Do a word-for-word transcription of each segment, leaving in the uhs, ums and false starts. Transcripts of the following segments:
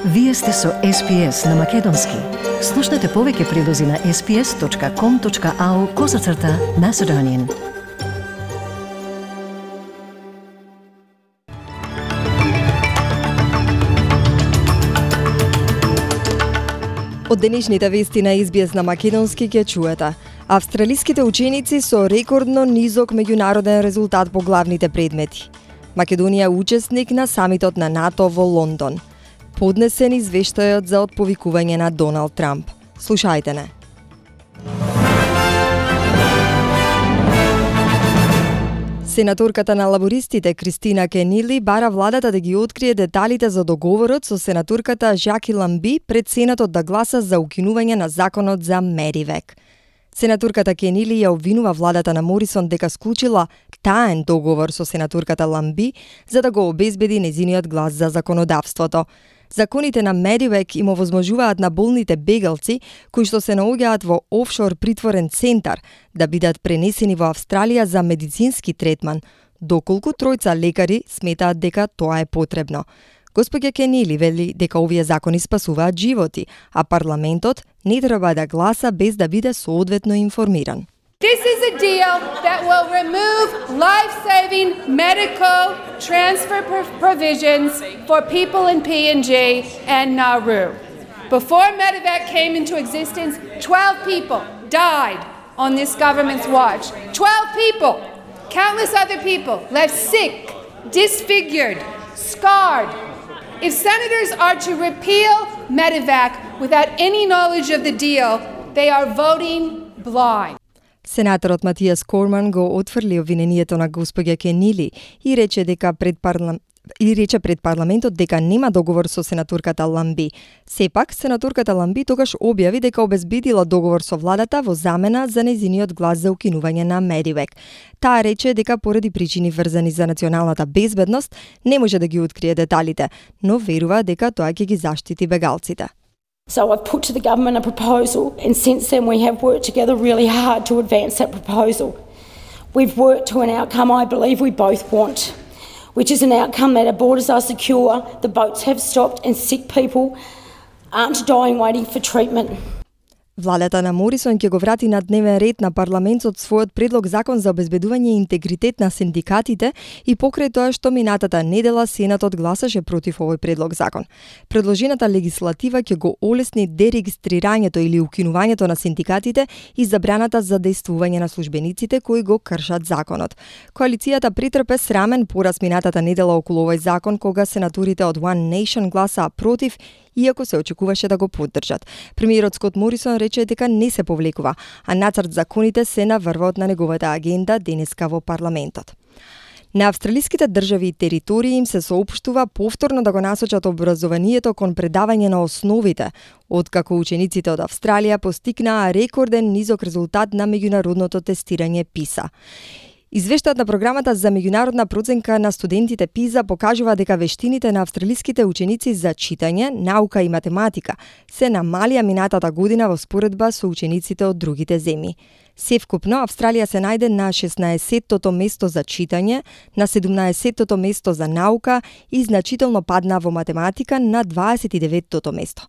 Вие сте со Ес Би Ес на Македонски. Слушнете повеќе прилози на ес би ес точка ком точка ау козацрта Macedonian. Од денешните вести на Ес Би Ес на Македонски ќе чуете. Австралиските ученици со рекордно низок меѓународен резултат по главните предмети. Македонија учесник на самитот на НАТО во Лондон. Поднесен извештајот за отповикување на Доналд Трамп. Слушајте не. Сенаторката на лабористите Кристина Кенили бара владата да ги открие деталите за договорот со сенаторката Жаки Ламби пред Сенатот да гласа за укинување на законот за Медивек. Сенаторката Кенили ја обвинува владата на Морисон дека склучила таен договор со сенаторката Ламби за да го обезбеди незиниот глас за законодавството. Законите на Медивек им овозможуваат на болните бегалци, кои што се наоѓаат во офшор притворен центар, да бидат пренесени во Австралија за медицински третман, доколку тројца лекари сметаат дека тоа е потребно. Господја Кенили вели дека овие закони спасуваат животи, а парламентот не треба да гласа без да биде соодветно информиран. This is a deal that will remove life-saving medical transfer provisions for people in P N G and Nauru. Before Medevac came into existence, twelve people died on this government's watch. twelve people! Countless other people left sick, disfigured, scarred. If senators are to repeal Medevac without any knowledge of the deal, they are voting blind. Сенаторот Матијас Корман го отфрли обвинението на господја Кенили и рече дека пред парлам... и рече пред парламентот дека нема договор со сенаторката Ламби. Сепак, сенаторката Ламби тогаш објави дека обезбедила договор со владата во замена за нејзиниот глас за укинување на Медивек. Таа рече дека поради причини врзани за националната безбедност не може да ги открие деталите, но верува дека тоа ќе ги заштити бегалците. So I've put to the government a proposal, and since then we have worked together really hard to advance that proposal. We've worked to an outcome I believe we both want, which is an outcome that our borders are secure, the boats have stopped, and sick people aren't dying waiting for treatment. Владата на Морисон ќе го врати на дневен ред на парламентот својот предлог закон за обезбедување интегритет на синдикатите и покрај тоа што минатата недела Сенатот гласаше против овој предлог закон. Предложената легислатива ќе го олесни дерегистрирањето или укинувањето на синдикатите и забраната за дејствување на службениците кои го кршат законот. Коалицијата претрпе срамен пораз минатата недела околу овој закон кога сенаторите од One Nation гласаа против, иако се очекуваше да го поддржат. Премиерот Скот Морисон рече дека не се повлекува, а нацрт законите се наврваат на неговата агенда денеска во парламентот. На австралиските држави и територии им се соопштува повторно да го насочат образованието кон предавање на основите, откако учениците од Австралија постигнаа рекорден низок резултат на меѓународното тестирање PISA. Извештајот на програмата за меѓународна проценка на студентите PISA покажува дека вештините на австралиските ученици за читање, наука и математика се намалија минатата година во споредба со учениците од другите земји. Севкупно, Австралија се најде на шеснаесеттото место за читање, на седумнаесеттото место за наука и значително падна во математика на дваесет и деветото место.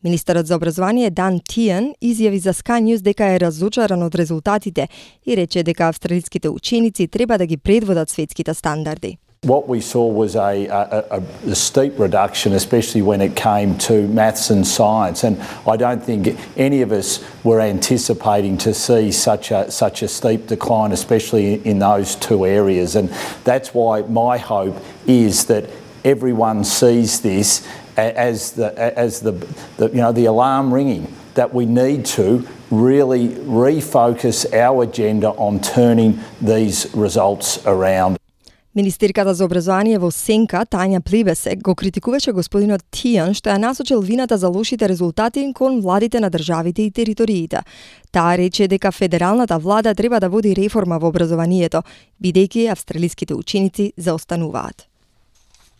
Министерот за образование Дан Тијан изјави за Sky News дека е разочаран од резултатите и рече дека австралиските ученици треба да ги предводат светските стандарди. What we saw was a, a, a, a steep reduction, especially when it came to maths and science, and I don't think any of us were anticipating to see such a such a steep decline, especially in those two areas. And that's why my hope is that everyone sees this as the as the, the you know the alarm ringing, that we need to really refocus our agenda on turning these results around. Министерката за образование во Сенка, Тања Плебесек, го критикуваше господинот Тијан што ја насочил вината за лошите резултати кон владите на државите и териториите. Таа рече дека федералната влада треба да води реформа во образованието, бидејќи австралиските ученици заостануваат.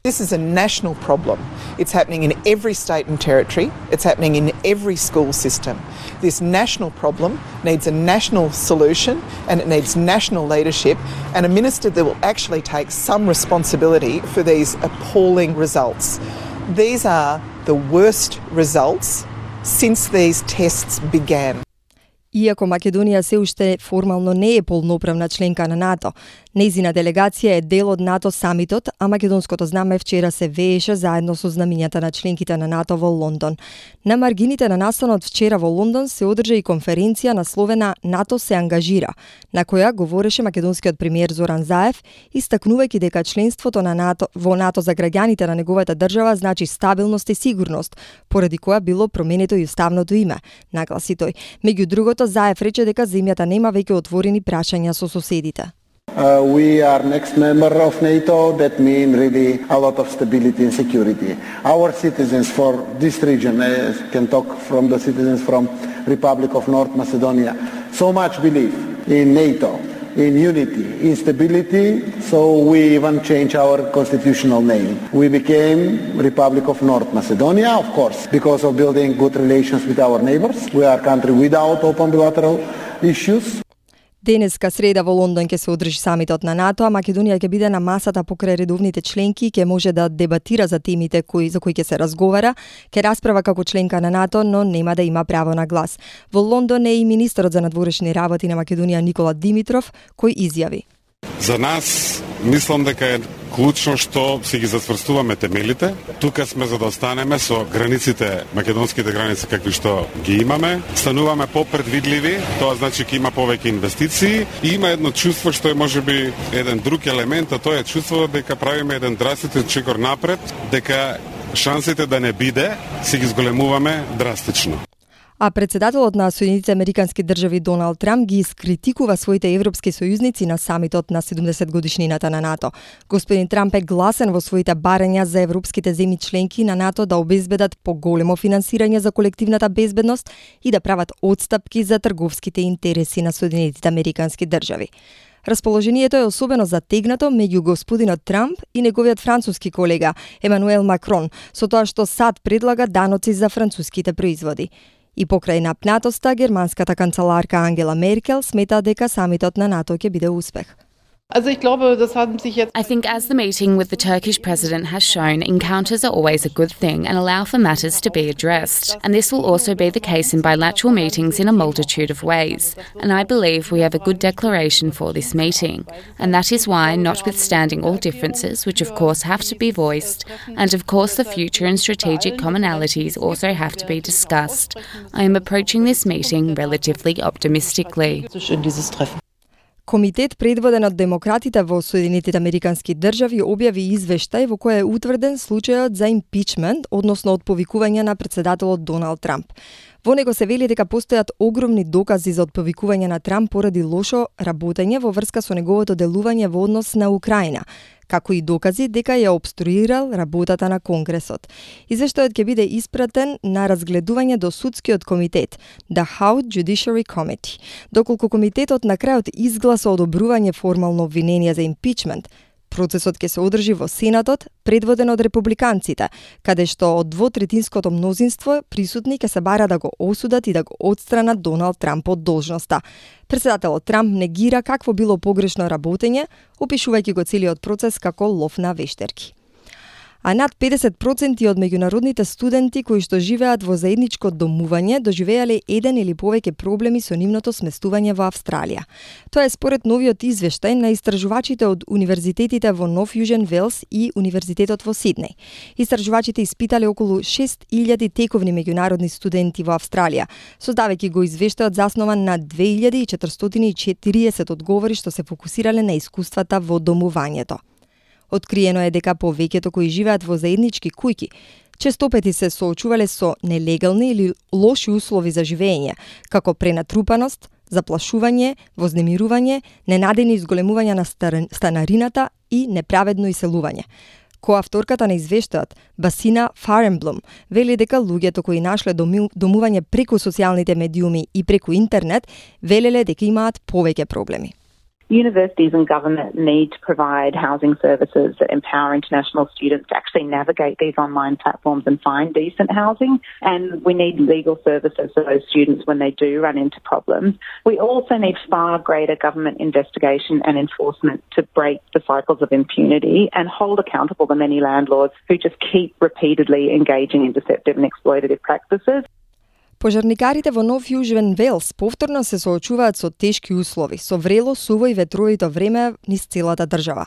This is a national problem. It's happening in every state and territory. It's happening in every school system. This national problem needs a national solution and it needs national leadership and a minister that will actually take some responsibility for these appalling results. These are the the worst results since these tests began. Иако Македонија се уште формално не е полноправна членка на НАТО, нејзина делегација е дел од НАТО самитот, а македонското знаме вчера се вееше заедно со знамињата на членките на НАТО во Лондон. На маргините на настанот вчера во Лондон се одржа и конференција насловена НАТО се ангажира, на која говореше македонскиот премиер Зоран Заев, истакнувајќи дека членството на НАТО во НАТО за граѓаните на неговата држава значи стабилност и сигурност, поради која било променето и уставното име, нагласи тој. Меѓу другото, Заев рече дека земјата нема веќе отворени прашања со соседите. Uh, we are next member of NATO. That means really a lot of stability and security. Our citizens for this region, uh, can talk from the citizens from Republic of North Macedonia, so much believe in NATO, in unity, in stability, so we even change our constitutional name. We became Republic of North Macedonia, of course, because of building good relations with our neighbors. We are a country without open bilateral issues. Денеска среда во Лондон ќе се одржи самитот на НАТО, а Македонија ќе биде на масата покрај редовните членки и ќе може да дебатира за темите кои за кои ќе се разговара, ќе расправа како членка на НАТО, но нема да има право на глас. Во Лондон е и министерот за надворешни работи на Македонија Никола Димитров, кој изјави: За нас мислам дека е клучно што си ги зацврстуваме темелите. Тука сме за да останеме со границите, македонските граници какви што ги имаме. Стануваме попредвидливи, тоа значи ќе има повеќе инвестиции и има едно чувство што е можеби еден друг елемент, а тоа е чувство дека правиме еден драстичен чекор напред, дека шансите да не биде си ги зголемуваме драстично. А председателот на Соединетите Американски држави Доналд Трамп ги искритикува своите европски сојузници на самитот на седумдесет годишнината на НАТО. Господин Трамп е гласен во своите барања за европските земји членки на НАТО да обезбедат поголемо финансирање за колективната безбедност и да прават отстапки за трговските интереси на Соединетите Американски држави. Расположението е особено затегнато меѓу господинот Трамп и неговиот француски колега Емануел Макрон, со тоа што САД предлага даноци за француските производи. И покрај напнатоста, германската канцеларка Ангела Меркел смета дека самитот на НАТО ќе биде успех. I think as the meeting with the Turkish president has shown, encounters are always a good thing and allow for matters to be addressed. And this will also be the case in bilateral meetings in a multitude of ways. And I believe we have a good declaration for this meeting. And that is why, notwithstanding all differences, which of course have to be voiced, and of course the future and strategic commonalities also have to be discussed, I am approaching this meeting relatively optimistically. Комитет предводен од демократите во Соединетите Американски држави објави извештај во кој е утврден случајот за импичмент, односно отповикување на председателот Доналд Трамп. Во него се вели дека постојат огромни докази за отповикување на Трамп поради лошо работење во врска со неговото делување во однос на Украина, како и докази дека ја обструирал работата на Конгресот. Извештајот ќе биде испратен на разгледување до судскиот комитет, The House Judiciary Committee. Доколку комитетот на крајот изгласа одобрување формално обвинение за импичмент, процесот ќе се одржи во Сенатот, предводен од републиканците, каде што од двотретинското мнозинство присутни ќе се бара да го осудат и да го отстранат Доналд Трамп од должноста. Председателот Трамп негира какво било погрешно работење, опишувајќи го целиот процес како лов на вештерки. А над педесет проценти од меѓународните студенти кои што живеат во заедничко домување доживеале еден или повеќе проблеми со нивното сместување во Австралија. Тоа е според новиот извештај на истражувачите од универзитетите во Нов Јужен Велс и Универзитетот во Сиднеј. Истражувачите испитале околу шест илјади тековни меѓународни студенти во Австралија, создавајќи го извештајот заснован на две илјади четиристотини и четириесет одговори што се фокусирале на искуствата во домувањето. Откриено е дека повеќето кои живеат во заеднички куќи честопети се соочувале со нелегални или лоши услови за живење, како пренатрупаност, заплашување, вознемирување, ненадени изголемување на станарината и неправедно иселување. Коавторката на извештајот, Басина Фаренблум, вели дека луѓето кои нашле домување преку социјалните медиуми и преку интернет, велеле дека имаат повеќе проблеми. Universities and government need to provide housing services that empower international students to actually navigate these online platforms and find decent housing. And we need legal services for those students when they do run into problems. We also need far greater government investigation and enforcement to break the cycles of impunity and hold accountable the many landlords who just keep repeatedly engaging in deceptive and exploitative practices. Пожарникарите во Нов Јужен Велс повторно се соочуваат со тешки услови, со врело, суво и ветровито време низ целата држава.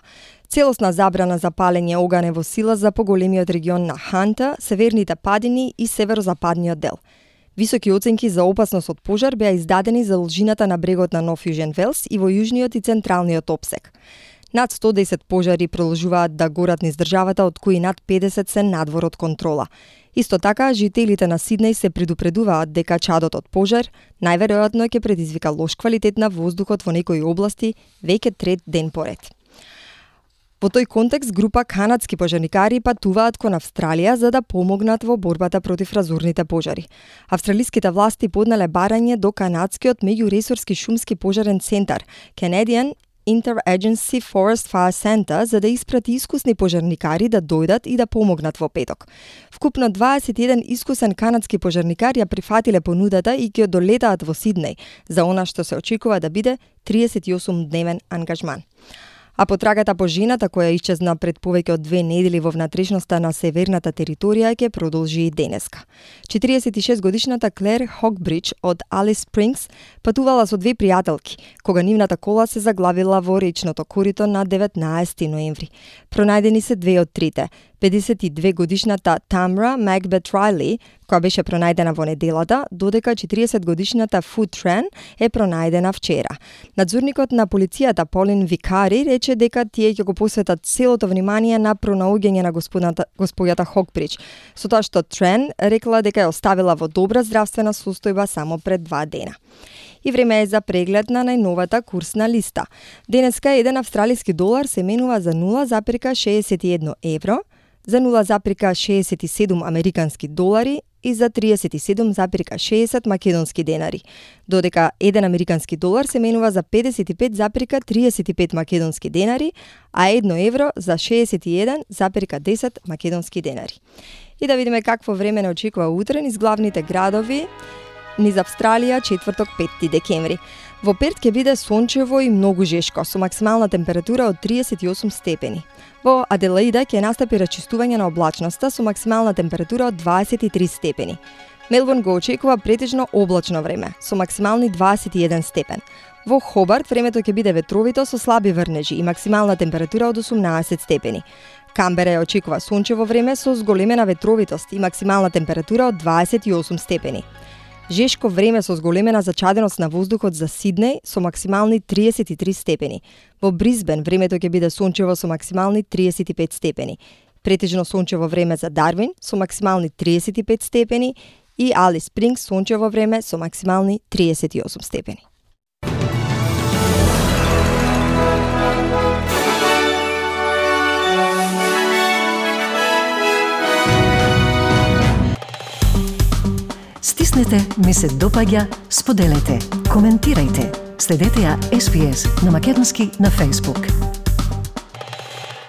Целосна забрана за палење оган е во сила за поголемиот регион на Ханта, северните падини и северозападниот дел. Високи оценки за опасност од пожар беа издадени за должината на брегот на Нов Јужен Велс и во јужниот и централниот опсек. Над сто и десет пожари продолжуваат да горат низ државата, од кои над педесет се надвор од контрола. Исто така, жителите на Сиднеј се предупредуваат дека чадот од пожар најверојатно ќе предизвика лош квалитет на воздухот во некои области веќе трет ден поред. Во тој контекст, група канадски пожарникари патуваат кон Австралија за да помогнат во борбата против разорните пожари. Австралиските власти поднале барање до канадскиот меѓуресорски шумски пожарен центар Canadian Interagency Forest Fire Center за да испрати искусни пожарникари да дојдат и да помогнат во петок. Вкупно дваесет и еден искусен канадски пожарникари ја прифатиле понудата и ќе долетаат во Сиднеј за она што се очекува да биде триесет и осум дневен ангажман. А потрагата по жената која исчезна пред повеќе од две недели во внатрешноста на северната територија ќе продолжи и денеска. четириесет и шест годишната Клер Хокбридж од Алис Спрингс патувала со две пријателки, кога нивната кола се заглавила во речното корито на деветнаесети ноември. Пронајдени се две од трите. педесет и две годишната Тамра Макбет Райли, која беше пронајдена во неделата, додека четириесет годишната Фу Трен е пронајдена вчера. Надзорникот на полицијата Полин Викари рече дека тие ќе го посветат целото внимание на пронаоѓање на господјата Хокбридж, со тоа што Трен рекла дека ја оставила во добра здравствена состојба само пред два дена. И време е за преглед на најновата курсна листа. Денеска еден австралиски долар се менува за нула запирка шеесет и едно евро, за нула запирка шеесет и седум американски долари и за триесет и седум запирка шеесет македонски денари, додека еден американски долар се менува за педесет и пет запирка триесет и пет македонски денари, а едно евро за шеесет и еден запирка десет македонски денари. И да видиме какво време не очекува утре низ главните градови низ Австралија четврток петти декември. Во Перт ќе биде сончево и многу жешко, со максимална температура од триесет и осум степени. Во Аделаида ќе настапи рачистување на облачноста со максимална температура од дваесет и три степени. Мелбурн го очекува претежно облачно време, со максимални дваесет и еден степен. Во Хобарт времето ќе биде ветровито со слаби врнежи и максимална температура од осумнаесет степени. Камбера ја очекува сончево време со зголемена ветровитост и максимална температура од дваесет и осум степени. Жешко време со зголемена зачаденост на воздухот за Сиднеј со максимални триесет и три степени. Во Брисбен времето ќе биде сончево со максимални триесет и пет степени. Претежно сончево време за Дарвин со максимални триесет и пет степени и Алис Спрингс сончево време со максимални триесет и осум степени. Стиснете, ми се допаѓа, споделете, коментирајте. Следете ја Ес Би Ес на македонски на Facebook.